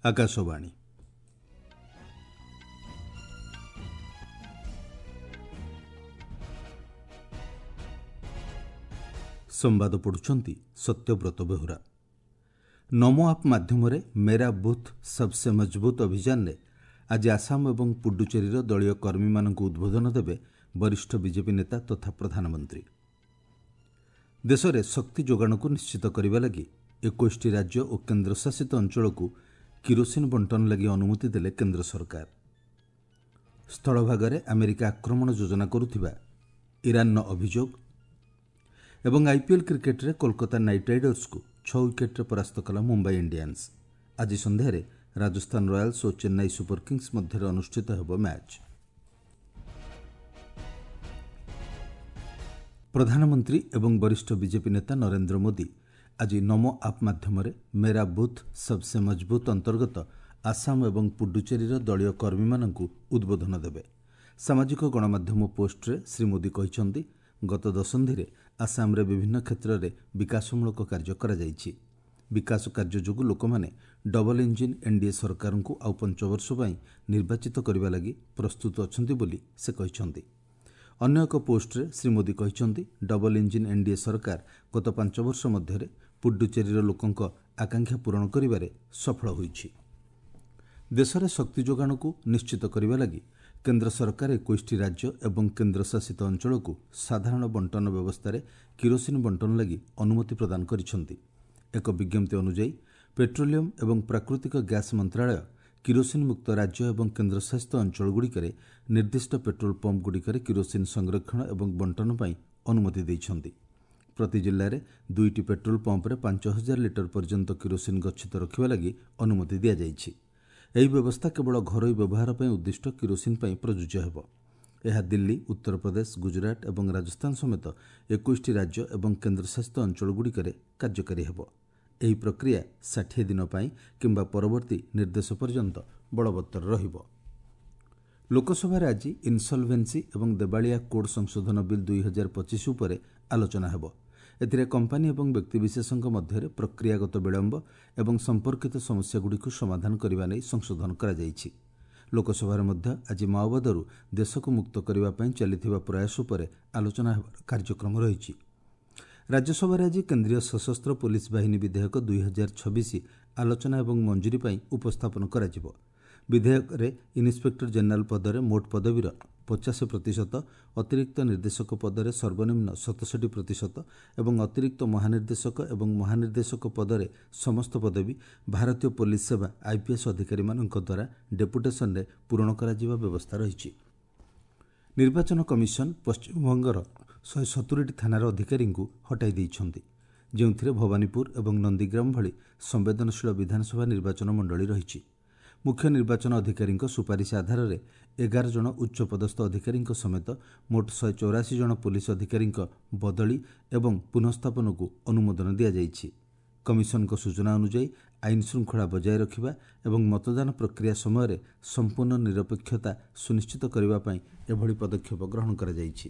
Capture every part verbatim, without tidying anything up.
ଆକାଶବାଣୀ। ସମ୍ବାଦ ପଢ଼ୁଛନ୍ତି ସତ୍ୟବ୍ରତ ବେହୁରା। ନମୋ ଆପ୍ ମାଧ୍ୟମରେ ମେରା ବୁଥ୍ ସବ୍ସେ ମଜବୁତ୍ ଅଭିଯାନରେ ଆଜି ଆସାମ ଏବଂ ପୁଡୁଚେରୀର ଦଳୀୟ କର୍ମୀମାନଙ୍କୁ ଉଦ୍ବୋଧନ ଦେବେ ବରିଷ୍ଠ ବିଜେପି ନେତା ତଥା ପ୍ରଧାନମନ୍ତ୍ରୀ। ଦେଶରେ ଶକ୍ତି ଯୋଗାଣକୁ ନିଶ୍ଚିତ କରିବା ଲାଗି ଏକୋଇଶଟି ରାଜ୍ୟ ଓ କେନ୍ଦ୍ରଶାସିତ ଅଞ୍ଚଳକୁ କିରୋସିନ ବଣ୍ଟନ ଲାଗି ଅନୁମତି ଦେଲେ କେନ୍ଦ୍ର ସରକାର। ସ୍ଥଳଭାଗରେ ଆମେରିକା ଆକ୍ରମଣ ଯୋଜନା କରୁଥିବା ଇରାନର ଅଭିଯୋଗ ଏବଂ ଆଇପିଏଲ୍ କ୍ରିକେଟରେ କୋଲକାତା ନାଇଟ୍ ରାଇଡର୍ସକୁ ଛଅ ୱିକେଟ୍ରେ ପରାସ୍ତ କଲା ମୁମ୍ବାଇ ଇଣ୍ଡିଆନ୍ସ। ଆଜି ସନ୍ଧ୍ୟାରେ ରାଜସ୍ଥାନ ରୟାଲ୍ସ ଓ ଚେନ୍ନାଇ ସୁପର କିଙ୍ଗସ୍ ମଧ୍ୟରେ ଅନୁଷ୍ଠିତ ହେବ ମ୍ୟାଚ୍। ପ୍ରଧାନମନ୍ତ୍ରୀ ଏବଂ ବରିଷ୍ଠ ବିଜେପି ନେତା ନରେନ୍ଦ୍ର ମୋଦି ଆଜି ନମୋ ଆପ୍ ମାଧ୍ୟମରେ ମେରା ବୁଥ୍ ସବ୍ସେ ମଜବୁତ୍ ଅନ୍ତର୍ଗତ ଆସାମ ଏବଂ ପୁଡୁଚେରୀର ଦଳୀୟ କର୍ମୀମାନଙ୍କୁ ଉଦ୍ବୋଧନ ଦେବେ। ସାମାଜିକ ଗଣମାଧ୍ୟମ ପୋଷ୍ଟରେ ଶ୍ରୀ ମୋଦି କହିଛନ୍ତି, ଗତ ଦଶନ୍ଧିରେ ଆସାମରେ ବିଭିନ୍ନ କ୍ଷେତ୍ରରେ ବିକାଶମୂଳକ କାର୍ଯ୍ୟ କରାଯାଇଛି। ବିକାଶ କାର୍ଯ୍ୟ ଯୋଗୁଁ ଲୋକମାନେ ଡବଲ ଇଞ୍ଜିନ୍ ଏନ୍ଡିଏ ସରକାରଙ୍କୁ ଆଉ ପଞ୍ଚ ବର୍ଷ ପାଇଁ ନିର୍ବାଚିତ କରିବା ଲାଗି ପ୍ରସ୍ତୁତ ଅଛନ୍ତି ବୋଲି ସେ କହିଛନ୍ତି। ଅନ୍ୟ ଏକ ପୋଷ୍ଟରେ ଶ୍ରୀ ମୋଦି କହିଛନ୍ତି, ଡବଲ ଇଞ୍ଜିନ୍ ଏନ୍ଡିଏ ସରକାର ଗତ ପାଞ୍ଚ ବର୍ଷ ମଧ୍ୟରେ ପୁଡୁଚେରୀର ଲୋକଙ୍କ ଆକାଂକ୍ଷା ପୂରଣ କରିବାରେ ସଫଳ ହୋଇଛି। ଦେଶରେ ଶକ୍ତି ଯୋଗାଣକୁ ନିଶ୍ଚିତ କରିବା ଲାଗି କେନ୍ଦ୍ର ସରକାର ଏକୋଇଶଟି ରାଜ୍ୟ ଏବଂ କେନ୍ଦ୍ରଶାସିତ ଅଞ୍ଚଳକୁ ସାଧାରଣ ବଣ୍ଟନ ବ୍ୟବସ୍ଥାରେ କିରୋସିନ ବଣ୍ଟନ ଲାଗି ଅନୁମତି ପ୍ରଦାନ କରିଛନ୍ତି। ଏକ ବିଜ୍ଞପ୍ତି ଅନୁଯାୟୀ ପେଟ୍ରୋଲିୟମ ଏବଂ ପ୍ରାକୃତିକ ଗ୍ୟାସ୍ ମନ୍ତ୍ରଣାଳୟ କିରୋସିନ ମୁକ୍ତ ରାଜ୍ୟ ଏବଂ କେନ୍ଦ୍ରଶାସିତ ଅଞ୍ଚଳଗୁଡ଼ିକରେ ନିର୍ଦ୍ଦିଷ୍ଟ ପେଟ୍ରୋଲ ପମ୍ପଗୁଡ଼ିକରେ କିରୋସିନ ସଂରକ୍ଷଣ ଏବଂ ବଣ୍ଟନ ପାଇଁ ଅନୁମତି ଦେଇଛନ୍ତି। ପ୍ରତି ଜିଲ୍ଲାରେ ଦୁଇଟି ପେଟ୍ରୋଲ ପମ୍ପରେ ପାଞ୍ଚ ହଜାର ଲିଟର ପର୍ଯ୍ୟନ୍ତ କିରୋସିନ ଗଚ୍ଛିତ ରଖିବା ଲାଗି ଅନୁମତି ଦିଆଯାଇଛି। ଏହି ବ୍ୟବସ୍ଥା କେବଳ ଘରୋଇ ବ୍ୟବହାର ପାଇଁ ଉଦ୍ଦିଷ୍ଟ କିରୋସିନ ପାଇଁ ପ୍ରଯୁଜ୍ୟ ହେବ। ଏହା ଦିଲ୍ଲୀ, ଉତ୍ତରପ୍ରଦେଶ, ଗୁଜରାଟ ଏବଂ ରାଜସ୍ଥାନ ସମେତ ଏକୋଇଶଟି ରାଜ୍ୟ ଏବଂ କେନ୍ଦ୍ରଶାସିତ ଅଞ୍ଚଳଗୁଡ଼ିକରେ କାର୍ଯ୍ୟକାରୀ ହେବ। ଏହି ପ୍ରକ୍ରିୟା ଷାଠିଏ ଦିନ ପାଇଁ କିମ୍ବା ପରବର୍ତ୍ତୀ ନିର୍ଦ୍ଦେଶ ପର୍ଯ୍ୟନ୍ତ ବଳବତ୍ତର ରହିବ। ଲୋକସଭାରେ ଆଜି ଇନ୍ସଲଭେନ୍ସି ଏବଂ ଦେବାଳିଆ କୋଡ୍ ସଂଶୋଧନ ବିଲ୍ ଦୁଇ ହଜାର ପଚିଶ ଉପରେ ଆଲୋଚନା ହେବ। ଏଥିରେ କମ୍ପାନୀ ଏବଂ ବ୍ୟକ୍ତିବିଶେଷଙ୍କ ମଧ୍ୟରେ ପ୍ରକ୍ରିୟାଗତ ବିଳମ୍ବ ଏବଂ ସମ୍ପର୍କିତ ସମସ୍ୟାଗୁଡ଼ିକୁ ସମାଧାନ କରିବା ନେଇ ସଂଶୋଧନ କରାଯାଇଛି। ଲୋକସଭାରେ ମଧ୍ୟ ଆଜି ମାଓବାଦରୁ ଦେଶକୁ ମୁକ୍ତ କରିବା ପାଇଁ ଚାଲିଥିବା ପ୍ରୟାସ ଉପରେ ଆଲୋଚନା ହେବାର କାର୍ଯ୍ୟକ୍ରମ ରହିଛି। ରାଜ୍ୟସଭାରେ ଆଜି କେନ୍ଦ୍ରୀୟ ସଶସ୍ତ୍ର ପୋଲିସ ବାହିନୀ ବିଧେୟକ ଦୁଇ ହଜାର ଛବିଶ ଆଲୋଚନା ଏବଂ ମଞ୍ଜୁରୀ ପାଇଁ ଉପସ୍ଥାପନ କରାଯିବ। ବିଧେୟକରେ ଇନ୍ସପେକ୍ଟର ଜେନେରାଲ ପଦରେ ମୋଟ ପଦବୀର ପଚାଶ ପ୍ରତିଶତ, ଅତିରିକ୍ତ ନିର୍ଦ୍ଦେଶକ ପଦରେ ସର୍ବନିମ୍ନ ସତଷଠି ପ୍ରତିଶତ ଏବଂ ଅତିରିକ୍ତ ମହାନିର୍ଦ୍ଦେଶକ ଏବଂ ମହାନିର୍ଦ୍ଦେଶକ ପଦରେ ସମସ୍ତ ପଦବୀ ଭାରତୀୟ ପୋଲିସ ସେବା ଆଇପିଏସ୍ ଅଧିକାରୀମାନଙ୍କ ଦ୍ୱାରା ଡେପୁଟେସନରେ ପୂରଣ କରାଯିବା ବ୍ୟବସ୍ଥା ରହିଛି। ନିର୍ବାଚନ କମିଶନ ପଶ୍ଚିମବଙ୍ଗର ଶହେ ସତୁରିଟି ଥାନାର ଅଧିକାରୀଙ୍କୁ ହଟାଇ ଦେଇଛନ୍ତି, ଯେଉଁଥିରେ ଭବାନୀପୁର ଏବଂ ନନ୍ଦୀଗ୍ରାମ ଭଳି ସମ୍ବେଦନଶୀଳ ବିଧାନସଭା ନିର୍ବାଚନ ମଣ୍ଡଳୀ ରହିଛି। ମୁଖ୍ୟ ନିର୍ବାଚନ ଅଧିକାରୀଙ୍କ ସୁପାରିଶ ଆଧାରରେ ଏଗାର ଜଣ ଉଚ୍ଚପଦସ୍ଥ ଅଧିକାରୀଙ୍କ ସମେତ ମୋଟ ଶହେ ଚଉରାଅଶୀ ଜଣ ପୋଲିସ ଅଧିକାରୀଙ୍କ ବଦଳି ଏବଂ ପୁନଃସ୍ଥାପନକୁ ଅନୁମୋଦନ ଦିଆଯାଇଛି। କମିଶନଙ୍କ ସୂଚନା ଅନୁଯାୟୀ ଆଇନ ଶୃଙ୍ଖଳା ବଜାୟ ରଖିବା ଏବଂ ମତଦାନ ପ୍ରକ୍ରିୟା ସମୟରେ ସମ୍ପୂର୍ଣ୍ଣ ନିରପେକ୍ଷତା ସୁନିଶ୍ଚିତ କରିବା ପାଇଁ ଏଭଳି ପଦକ୍ଷେପ ଗ୍ରହଣ କରାଯାଇଛି।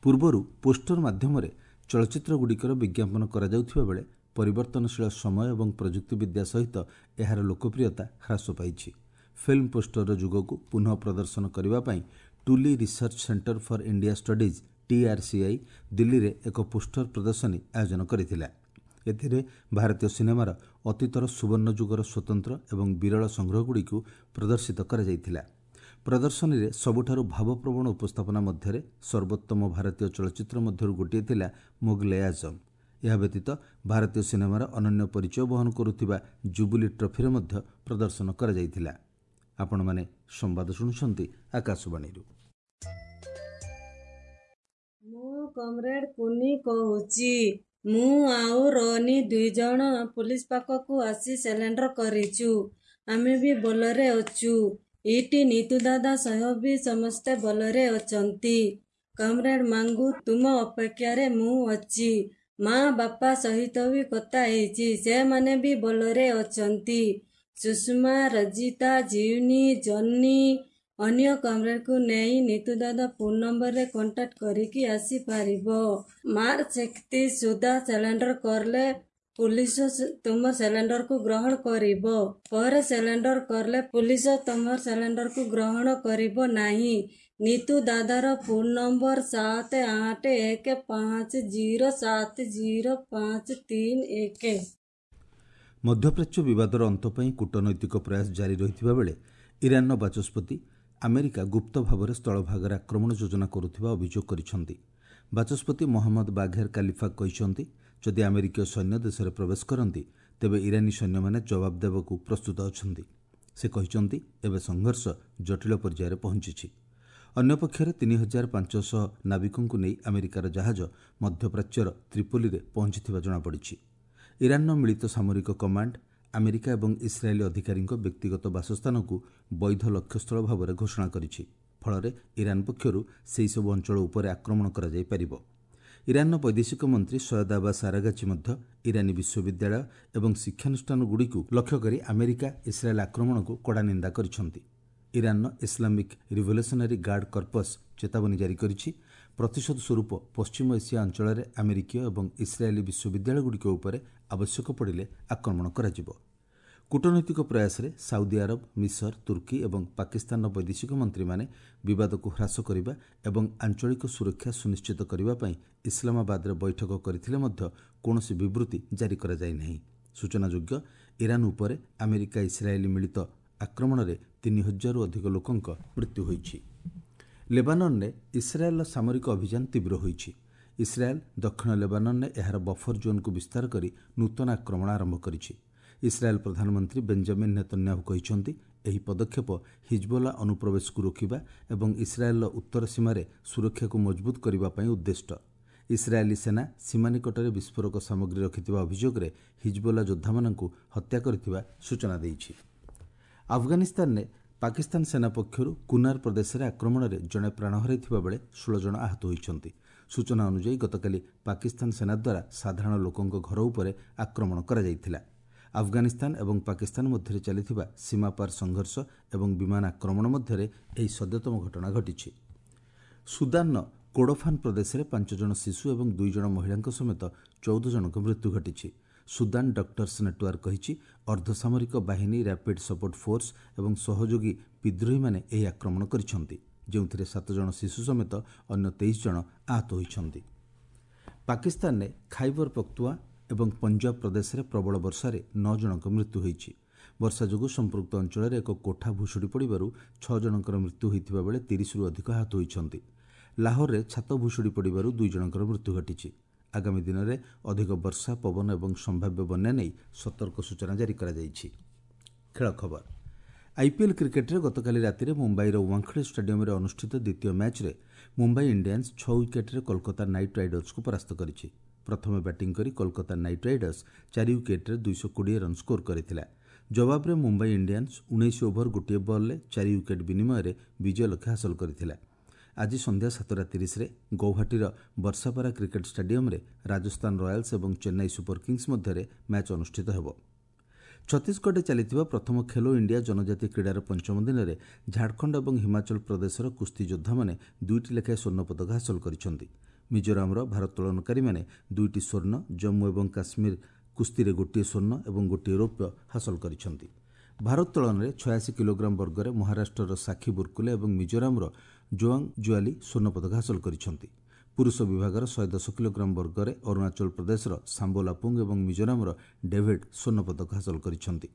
ପୂର୍ବରୁ ପୋଷ୍ଟର ମାଧ୍ୟମରେ ଚଳଚ୍ଚିତ୍ରଗୁଡ଼ିକର ବିଜ୍ଞାପନ କରାଯାଉଥିବା ବେଳେ ପରିବର୍ତ୍ତନଶୀଳ ସମୟ ଏବଂ ପ୍ରଯୁକ୍ତିବିଦ୍ୟା ସହିତ ଏହାର ଲୋକପ୍ରିୟତା ହ୍ରାସ ପାଇଛି। ଫିଲ୍ମ ପୋଷ୍ଟରର ଯୁଗକୁ ପୁନଃ ପ୍ରଦର୍ଶନ କରିବା ପାଇଁ Tuli research centre for India studies TRCI ଦିଲ୍ଲୀରେ ଏକ ପୋଷ୍ଟର ପ୍ରଦର୍ଶନୀ ଆୟୋଜନ କରିଥିଲା। ଏଥିରେ ଭାରତୀୟ ସିନେମାର ଅତୀତର ସୁବର୍ଣ୍ଣ ଯୁଗର ସ୍ୱତନ୍ତ୍ର ଏବଂ ବିରଳ ସଂଗ୍ରହଗୁଡ଼ିକୁ ପ୍ରଦର୍ଶିତ କରାଯାଇଥିଲା। ପ୍ରଦର୍ଶନୀରେ ସବୁଠାରୁ ଭାବପ୍ରବଣ ଉପସ୍ଥାପନା ମଧ୍ୟରେ ସର୍ବୋତ୍ତମ ଭାରତୀୟ ଚଳଚ୍ଚିତ୍ର ମଧ୍ୟରୁ ଗୋଟିଏ ଥିଲା ମୋଗଲେ ଆଜମ। ଏହା ବ୍ୟତୀତ ଭାରତୀୟ ସିନେମାର ଅନନ୍ୟ ପରିଚୟ ବହନ କରୁଥିବା ଜୁବୁଲି ଟ୍ରଫିର ମଧ୍ୟ ପ୍ରଦର୍ଶନ କରାଯାଇଥିଲା। ଆପଣମାନେ ସମ୍ବାଦ ଶୁଣୁଛନ୍ତି ଆକାଶବାଣୀରୁ। ମୁଁ କମ୍ରେଡ୍ କୁନି କହୁଛି। ମୁଁ ଆଉ ରୋନି ଦୁଇ ଜଣ ପୋଲିସ ପାଖକୁ ଆସି ସିଲେଣ୍ଡର କରିଛୁ। ଆମେ ବି ଭଲରେ ଅଛୁ। ଏଇଠି ନିତୁ ଦାଦା ସହ ବି ସମସ୍ତେ ଭଲରେ ଅଛନ୍ତି। କମ୍ରେଡ୍ ମାଙ୍ଗୁ, ତୁମ ଅପେକ୍ଷାରେ ମୁଁ ଅଛି। ମା ବାପା ସହିତ ବି କଥା ହେଇଛି, ସେମାନେ ବି ଭଲରେ ଅଛନ୍ତି। ସୁଷମା, ରଜିତା, ଜିଉନି, ଜନି ଅନ୍ୟ କମ୍ରେଡ୍କୁ ନେଇ ନିତୁ ଦାଦା ଫୋନ୍ ନମ୍ବରରେ କଣ୍ଟାକ୍ଟ କରିକି ଆସିପାରିବ। ମାର୍ଚ୍ଚ ଏକତିରିଶ ସୁଦ୍ଧା ସିଲିଣ୍ଡର କଲେ ପୁଲିସ ତୁମ ସିଲିଣ୍ଡରକୁ ଗ୍ରହଣ କରିବ। ପରେ ସିଲିଣ୍ଡର କଲେ ପୁଲିସ ତୁମ ସିଲିଣ୍ଡରକୁ ଗ୍ରହଣ କରିବ ନାହିଁ। ନିତୁ ଦାଦାର ଫୋନ୍ ନମ୍ବର ସାତ ଆଠ ଏକ ପାଞ୍ଚ ଜିରୋ ସାତ ଜିରୋ ପାଞ୍ଚ ତିନି ଏକ। ମଧ୍ୟପ୍ରାଚ୍ୟ ବିବାଦର ଅନ୍ତ ପାଇଁ କୂଟନୈତିକ ପ୍ରୟାସ ଜାରି ରହିଥିବା ବେଳେ ଇରାନର ବାଚସ୍ପତି ଆମେରିକା ଗୁପ୍ତ ଭାବରେ ସ୍ଥଳଭାଗରେ ଆକ୍ରମଣ ଯୋଜନା କରୁଥିବା ଅଭିଯୋଗ କରିଛନ୍ତି। ବାଚସ୍ପତି ମହମ୍ମଦ ବାଘେର କାଲିଫାକ୍ କହିଛନ୍ତି, ଯଦି ଆମେରିକୀୟ ସୈନ୍ୟ ଦେଶରେ ପ୍ରବେଶ କରନ୍ତି ତେବେ ଇରାନୀ ସୈନ୍ୟମାନେ ଜବାବ ଦେବାକୁ ପ୍ରସ୍ତୁତ ଅଛନ୍ତି। ସେ କହିଛନ୍ତି, ଏବେ ସଂଘର୍ଷ ଜଟିଳ ପର୍ଯ୍ୟାୟରେ ପହଞ୍ଚିଛି। ଅନ୍ୟପକ୍ଷରେ ତିନି ହଜାର ପାଞ୍ଚଶହ ନାବିକଙ୍କୁ ନେଇ ଆମେରିକାର ଜାହାଜ ମଧ୍ୟପ୍ରାଚ୍ୟର ତ୍ରିପୋଲିରେ ପହଞ୍ଚିଥିବା ଜଣାପଡ଼ିଛି। ଇରାନର ମିଳିତ ସାମରିକ କମାଣ୍ଡ ଆମେରିକା ଏବଂ ଇସ୍ରାଏଲୀ ଅଧିକାରୀଙ୍କ ବ୍ୟକ୍ତିଗତ ବାସସ୍ଥାନକୁ ବୈଧ ଲକ୍ଷ୍ୟସ୍ଥଳ ଭାବରେ ଘୋଷଣା କରିଛି। ଫଳରେ ଇରାନ ପକ୍ଷରୁ ସେହିସବୁ ଅଞ୍ଚଳ ଉପରେ ଆକ୍ରମଣ କରାଯାଇପାରିବ। ଇରାନର ବୈଦେଶିକ ମନ୍ତ୍ରୀ ସୟଦ ଆବାସ ଆରାଗାଚି ମଧ୍ୟ ଇରାନୀ ବିଶ୍ୱବିଦ୍ୟାଳୟ ଏବଂ ଶିକ୍ଷାନୁଷ୍ଠାନଗୁଡ଼ିକୁ ଲକ୍ଷ୍ୟ କରି ଆମେରିକା ଇସ୍ରାଏଲ୍ ଆକ୍ରମଣକୁ କଡ଼ା ନିନ୍ଦା କରିଛନ୍ତି। ଇରାନର ଇସଲାମିକ୍ ରିଭଲ୍ୟୁସନାରୀ ଗାର୍ଡ କର୍ପସ୍ ଚେତାବନୀ ଜାରି କରିଛି, ପ୍ରତିଶୋଧ ସ୍ୱରୂପ ପଶ୍ଚିମ ଏସିଆ ଅଞ୍ଚଳରେ ଆମେରିକୀୟ ଏବଂ ଇସ୍ରାଏଲୀ ବିଶ୍ୱବିଦ୍ୟାଳୟଗୁଡ଼ିକ ଉପରେ ଆବଶ୍ୟକ ପଡ଼ିଲେ ଆକ୍ରମଣ କରାଯିବ। କୂଟନୈତିକ ପ୍ରୟାସରେ ସାଉଦି ଆରବ, ମିଶର, ତୁର୍କୀ ଏବଂ ପାକିସ୍ତାନର ବୈଦେଶିକ ମନ୍ତ୍ରୀମାନେ ବିବାଦକୁ ହ୍ରାସ କରିବା ଏବଂ ଆଞ୍ଚଳିକ ସୁରକ୍ଷା ସୁନିଶ୍ଚିତ କରିବା ପାଇଁ ଇସଲାମାବାଦରେ ବୈଠକ କରିଥିଲେ ମଧ୍ୟ କୌଣସି ବିବୃତି ଜାରି କରାଯାଇ ନାହିଁ। ସୂଚନାଯୋଗ୍ୟ, ଇରାନ ଉପରେ ଆମେରିକା ଇସ୍ରାଏଲୀ ମିଳିତ ଆକ୍ରମଣରେ ତିନି ହଜାରରୁ ଅଧିକ ଲୋକଙ୍କ ମୃତ୍ୟୁ ହୋଇଛି। ଲେବାନନରେ ଇସ୍ରାଏଲର ସାମରିକ ଅଭିଯାନ ତୀବ୍ର ହୋଇଛି। ଇସ୍ରାଏଲ ଦକ୍ଷିଣ ଲେବାନନରେ ଏହାର ବଫର ଜୋନ୍କୁ ବିସ୍ତାର କରି ନୂତନ ଆକ୍ରମଣ ଆରମ୍ଭ କରିଛି। ଇସ୍ରାଏଲ ପ୍ରଧାନମନ୍ତ୍ରୀ ବେଞ୍ଜାମିନ୍ ନେତନ୍ୟାହୁ କହିଛନ୍ତି, ଏହି ପଦକ୍ଷେପ ହିଜବୋଲା ଅନୁପ୍ରବେଶକୁ ରୋକିବା ଏବଂ ଇସ୍ରାଏଲର ଉତ୍ତର ସୀମାରେ ସୁରକ୍ଷାକୁ ମଜବୁତ କରିବା ପାଇଁ ଉଦ୍ଦିଷ୍ଟ। ଇସ୍ରାଏଲୀ ସେନା ସୀମା ନିକଟରେ ବିସ୍ଫୋରକ ସାମଗ୍ରୀ ରଖିଥିବା ଅଭିଯୋଗରେ ହିଜବୋଲା ଯୋଦ୍ଧାମାନଙ୍କୁ ହତ୍ୟା କରିଥିବା ସୂଚନା ଦେଇଛି। ଆଫଗାନିସ୍ତାନରେ ପାକିସ୍ତାନ ସେନା ପକ୍ଷରୁ କୁନାର ପ୍ରଦେଶରେ ଆକ୍ରମଣରେ ଜଣେ ପ୍ରାଣ ହରାଇଥିବା ବେଳେ ଷୋହଳ ଜଣ ଆହତ ହୋଇଛନ୍ତି। ସୂଚନା ଅନୁଯାୟୀ, ଗତକାଲି ପାକିସ୍ତାନ ସେନା ଦ୍ୱାରା ସାଧାରଣ ଲୋକଙ୍କ ଘର ଉପରେ ଆକ୍ରମଣ କରାଯାଇଥିଲା। ଆଫଗାନିସ୍ତାନ ଏବଂ ପାକିସ୍ତାନ ମଧ୍ୟରେ ଚାଲିଥିବା ସୀମାପାର ସଂଘର୍ଷ ଏବଂ ବିମାନ ଆକ୍ରମଣ ମଧ୍ୟରେ ଏହି ସଦ୍ୟତମ ଘଟଣା ଘଟିଛି। ସୁଦାନର କୋଡୋଫାନ ପ୍ରଦେଶରେ ପାଞ୍ଚ ଜଣ ଶିଶୁ ଏବଂ ଦୁଇ ଜଣ ମହିଳାଙ୍କ ସମେତ ଚଉଦ ଜଣଙ୍କ ମୃତ୍ୟୁ ଘଟିଛି। ସୁଦାନ ଡକ୍ଟର୍ସ ନେଟୱାର୍କ କହିଛି, ଅର୍ଦ୍ଧସାମରିକ ବାହିନୀ ରାପିଡ୍ ସପୋର୍ଟ ଫୋର୍ସ ଏବଂ ସହଯୋଗୀ ବିଦ୍ରୋହୀମାନେ ଏହି ଆକ୍ରମଣ କରିଛନ୍ତି, ଯେଉଁଥିରେ ସାତ ଜଣ ଶିଶୁ ସମେତ ଅନ୍ୟ ତେଇଶ ଜଣ ଆହତ ହୋଇଛନ୍ତି। ପାକିସ୍ତାନରେ ଖାଇବର ପଖ୍ତୁଆ ଏବଂ ପଞ୍ଜାବ ପ୍ରଦେଶରେ ପ୍ରବଳ ବର୍ଷାରେ ନଅ ଜଣଙ୍କ ମୃତ୍ୟୁ ହୋଇଛି। ବର୍ଷା ଯୋଗୁଁ ସମ୍ପୃକ୍ତ ଅଞ୍ଚଳରେ ଏକ କୋଠା ଭୁଶୁଡ଼ି ପଡ଼ିବାରୁ ଛଅ ଜଣଙ୍କର ମୃତ୍ୟୁ ହୋଇଥିବା ବେଳେ ତିରିଶରୁ ଅଧିକ ଆହତ ହୋଇଛନ୍ତି। ଲାହୋରରେ ଛାତ ଭୁଶୁଡ଼ି ପଡ଼ିବାରୁ ଦୁଇ ଜଣଙ୍କର ମୃତ୍ୟୁ ଘଟିଛି। ଆଗାମୀ ଦିନରେ ଅଧିକ ବର୍ଷା, ପବନ ଏବଂ ସମ୍ଭାବ୍ୟ ବନ୍ୟା ନେଇ ସତର୍କ ସୂଚନା ଜାରି କରାଯାଇଛି। ଖେଳ ଖବର, ଆଇପିଏଲ୍ କ୍ରିକେଟ୍ରେ ଗତକାଲି ରାତିରେ ମୁମ୍ବାଇର ୱାଙ୍ଖଡ଼େ ଷ୍ଟାଡିୟମରେ ଅନୁଷ୍ଠିତ ଦ୍ୱିତୀୟ ମ୍ୟାଚ୍ରେ ମୁମ୍ବାଇ ଇଣ୍ଡିଆନ୍ସ ଛଅ ୱିକେଟ୍ରେ କୋଲକାତା ନାଇଟ୍ ରାଇଡର୍ସକୁ ପରାସ୍ତ କରିଛି। ପ୍ରଥମେ ବ୍ୟାଟିଂ କରି କୋଲକାତା ନାଇଟ୍ ରାଇଡର୍ସ ଚାରି ୱିକେଟ୍ରେ ଦୁଇଶହ କୋଡ଼ିଏ ରନ୍ ସ୍କୋର କରିଥିଲା। ଜବାବରେ ମୁମ୍ବାଇ ଇଣ୍ଡିଆନ୍ସ ଉଣେଇଶ ଓଭର ଗୋଟିଏ ବଲ୍ରେ ଚାରି ୱିକେଟ୍ ବିନିମୟରେ ବିଜୟ ଲକ୍ଷ୍ୟ ହାସଲ କରିଥିଲା। ଆଜି ସନ୍ଧ୍ୟା ସାତଟା ତିରିଶରେ ଗୌହାଟୀର ବର୍ଷାପାରା କ୍ରିକେଟ୍ ଷ୍ଟାଡିୟମରେ ରାଜସ୍ଥାନ ରୟାଲ୍ସ ଏବଂ ଚେନ୍ନାଇ ସୁପର କିଙ୍ଗସ୍ ମଧ୍ୟରେ ମ୍ୟାଚ୍ ଅନୁଷ୍ଠିତ ହେବ। ଛତିଶଗଡ଼ରେ ଚାଲିଥିବା ପ୍ରଥମ ଖେଲୋ ଇଣ୍ଡିଆ ଜନଜାତି କ୍ରୀଡ଼ାର ପଞ୍ଚମ ଦିନରେ ଝାଡ଼ଖଣ୍ଡ ଏବଂ ହିମାଚଳ ପ୍ରଦେଶର କୁସ୍ତି ଯୋଦ୍ଧାମାନେ ଦୁଇଟି ଲେଖାଏଁ ସ୍ୱର୍ଣ୍ଣ ପଦକ ହାସଲ କରିଛନ୍ତି। ମିଜୋରାମର ଭାରୋତ୍ତୋଳନକାରୀମାନେ ଦୁଇଟି ସ୍ୱର୍ଣ୍ଣ, ଜମ୍ମୁ ଏବଂ କାଶ୍ମୀର କୁସ୍ତିରେ ଗୋଟିଏ ସ୍ୱର୍ଣ୍ଣ ଏବଂ ଗୋଟିଏ ରୌପ୍ୟ ହାସଲ କରିଛନ୍ତି। ଭାରୋତ୍ତୋଳନରେ ଛୟାଅଶୀ କିଲୋଗ୍ରାମ ବର୍ଗରେ ମହାରାଷ୍ଟ୍ରର ସାକ୍ଷୀ ବୁର୍କୁଲେ ଏବଂ ମିଜୋରାମର ଜୋଆଙ୍ଗ ଜୁଆଲି ସ୍ୱର୍ଣ୍ଣ ପଦକ ହାସଲ କରିଛନ୍ତି। ପୁରୁଷ ବିଭାଗର ଶହେ ଦଶ କିଲୋଗ୍ରାମ ବର୍ଗରେ ଅରୁଣାଚଳ ପ୍ରଦେଶର ସାମ୍ବୋ ଲାପୁଙ୍ଗ ଏବଂ ମିଜୋରାମର ଡେଭିଡ୍ ସ୍ୱର୍ଣ୍ଣ ପଦକ ହାସଲ କରିଛନ୍ତି।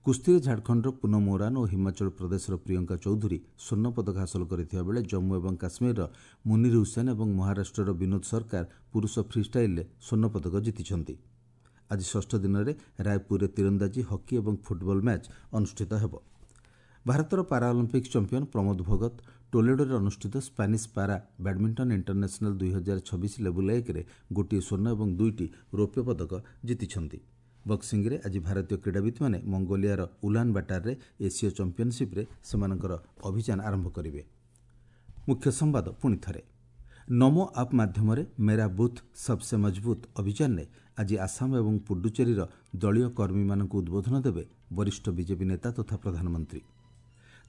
କୁସ୍ତିରେ ଝାଡ଼ଖଣ୍ଡର ପୁନମ ଓରାନ ଓ ହିମାଚଳ ପ୍ରଦେଶର ପ୍ରିୟଙ୍କା ଚୌଧୁରୀ ସ୍ୱର୍ଣ୍ଣ ପଦକ ହାସଲ କରିଥିବା ବେଳେ ଜମ୍ମୁ ଏବଂ କାଶ୍ମୀରର ମୁନିର ହୁସେନ ଏବଂ ମହାରାଷ୍ଟ୍ରର ବିନୋଦ ସରକାର ପୁରୁଷ ଫ୍ରିଷ୍ଟାଇଲ୍ରେ ସ୍ୱର୍ଣ୍ଣ ପଦକ ଜିତିଛନ୍ତି। ଆଜି ଷଷ୍ଠ ଦିନରେ ରାୟପୁରରେ ତୀରନ୍ଦାଜି, ହକି ଏବଂ ଫୁଟବଲ ମ୍ୟାଚ୍ ଅନୁଷ୍ଠିତ ହେବ। ଭାରତର ପାରାଅଲିମ୍ପିକ୍ସ ଚାମ୍ପିୟନ ପ୍ରମୋଦ ଭଗତ ଟୋଲେଡୋରେ ଅନୁଷ୍ଠିତ ସ୍ପାନିଶ ପାରା ବ୍ୟାଡମିଣ୍ଟନ ଇଣ୍ଟରନ୍ୟାସନାଲ ଦୁଇ ହଜାର ଛବିଶ ଲେବୁଲ୍ ଏକରେ ଗୋଟିଏ ସ୍ୱର୍ଣ୍ଣ ଏବଂ ଦୁଇଟି ରୌପ୍ୟ ପଦକ ଜିତିଛନ୍ତି। ବକ୍ସିଂରେ ଆଜି ଭାରତୀୟ କ୍ରୀଡ଼ାବିତ୍ମାନେ ମଙ୍ଗୋଲିଆର ଉଲାନ ବାଟାରରେ ଏସୀୟ ଚାମ୍ପିୟନସିପ୍ରେ ସେମାନଙ୍କର ଅଭିଯାନ ଆରମ୍ଭ କରିବେ। ମୁଖ୍ୟ ସମ୍ବାଦ ପୁଣି ଥରେ, ନମୋ ଆପ୍ ମାଧ୍ୟମରେ ମେରା ବୁଥ୍ ସବସେ ମଜବୁତ ଅଭିଯାନରେ ଆଜି ଆସାମ ଏବଂ ପୁଡୁଚେରୀର ଦଳୀୟ କର୍ମୀମାନଙ୍କୁ ଉଦ୍ବୋଧନ ଦେବେ ବରିଷ୍ଠ ବିଜେପି ନେତା ତଥା ପ୍ରଧାନମନ୍ତ୍ରୀ।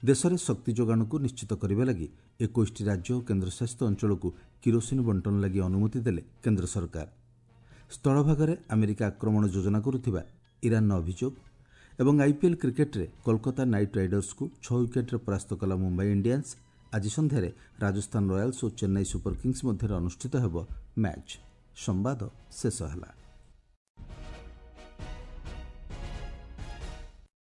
ଦେଶରେ ଶକ୍ତି ଯୋଗାଣକୁ ନିଶ୍ଚିତ କରିବା ଲାଗି ଏକୋଇଶଟି ରାଜ୍ୟ ଓ କେନ୍ଦ୍ରଶାସିତ ଅଞ୍ଚଳକୁ କିରୋସିନ ବଣ୍ଟନ ଲାଗି ଅନୁମତି ଦେଲେ କେନ୍ଦ୍ର ସରକାର। ସ୍ଥଳଭାଗରେ ଆମେରିକା ଆକ୍ରମଣ ଯୋଜନା କରୁଥିବା ଇରାନର ଅଭିଯୋଗ ଏବଂ ଆଇପିଏଲ୍ କ୍ରିକେଟ୍ରେ କୋଲକାତା ନାଇଟ୍ ରାଇଡର୍ସକୁ ଛଅ ୱିକେଟ୍ରେ ପରାସ୍ତ କଲା ମୁମ୍ବାଇ ଇଣ୍ଡିଆନ୍ସ। ଆଜି ସନ୍ଧ୍ୟାରେ ରାଜସ୍ଥାନ ରୟାଲ୍ସ ଓ ଚେନ୍ନାଇ ସୁପର କିଙ୍ଗସ୍ ମଧ୍ୟରେ ଅନୁଷ୍ଠିତ ହେବ ମ୍ୟାଚ୍। ସମ୍ବାଦ ଶେଷ ହେଲା।